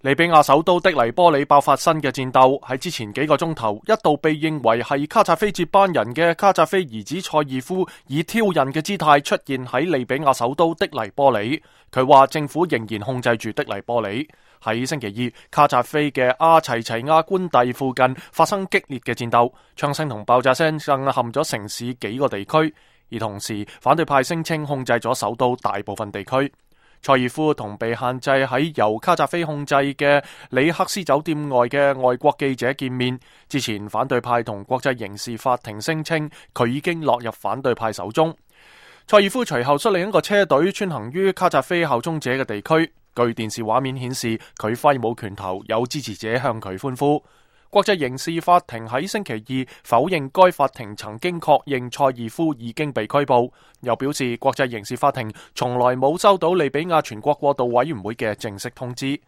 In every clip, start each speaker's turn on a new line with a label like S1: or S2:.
S1: 利比亞首都的黎波里爆發新嘅戰鬥，喺之前幾個鐘頭一度被認為係卡扎菲接班人嘅卡扎菲兒子塞爾夫以挑釁嘅姿態出現喺利比亞首都的黎波里。佢話政府仍然控制住的黎波里。喺星期二，卡扎菲嘅阿齊齊亞官邸附近發生激烈嘅戰鬥，槍聲同爆炸聲震撼咗城市幾個地區，而同時反對派聲稱控制咗首都大部分地區。塞爾夫同被限制喺由卡扎菲控制嘅里克斯酒店外嘅外國記者見面之前，反對派同國際刑事法庭聲稱佢已經落入反對派手中。塞爾夫隨後率領一個車隊穿行於卡扎菲效忠者嘅地區，據電視畫面顯示，佢揮舞拳頭，有支持者向佢歡呼。國際刑事法庭喺星期二否認該法庭曾經確認塞爾夫已經被拘捕，又表示國際刑事法庭從來冇收到利比亞全國過渡委員會嘅正式通知。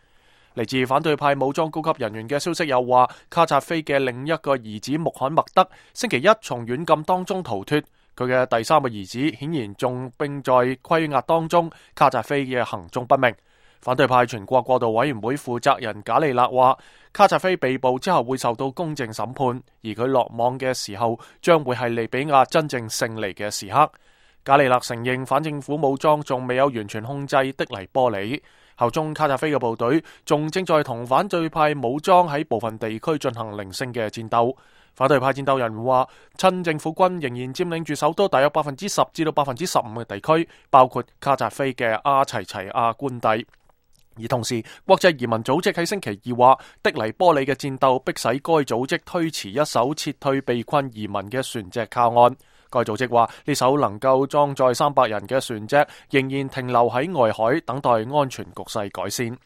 S1: 嚟自反對派武裝高級人員嘅消息又話，卡扎菲嘅另一個兒子穆罕默德星期一從軟禁當中逃脫，佢嘅第三個兒子顯然仲並在拘押當中，卡扎菲嘅行蹤不明。反對派全國過渡委員會負責人賈利勒話，卡扎菲被捕之後會受到公正審判，而佢落網嘅時候將會係利比亞真正勝利嘅時刻。賈利勒承認反政府武裝仲未有完全控制的黎波里，效忠卡扎菲嘅部隊仲正在同反對派武裝喺部分地區進行零星嘅戰鬥。反對派戰鬥人話，親政府軍仍然佔領住首都大約10%至到15%嘅地區，包括卡扎菲嘅阿齊齊亞官邸。而同時，國際移民組織喺星期二話，的黎波里嘅戰鬥迫使該組織推遲一艘撤退被困移民嘅船隻靠岸。該組織話，呢艘能夠裝載300人嘅船隻仍然停留喺外海，等待安全局勢改善。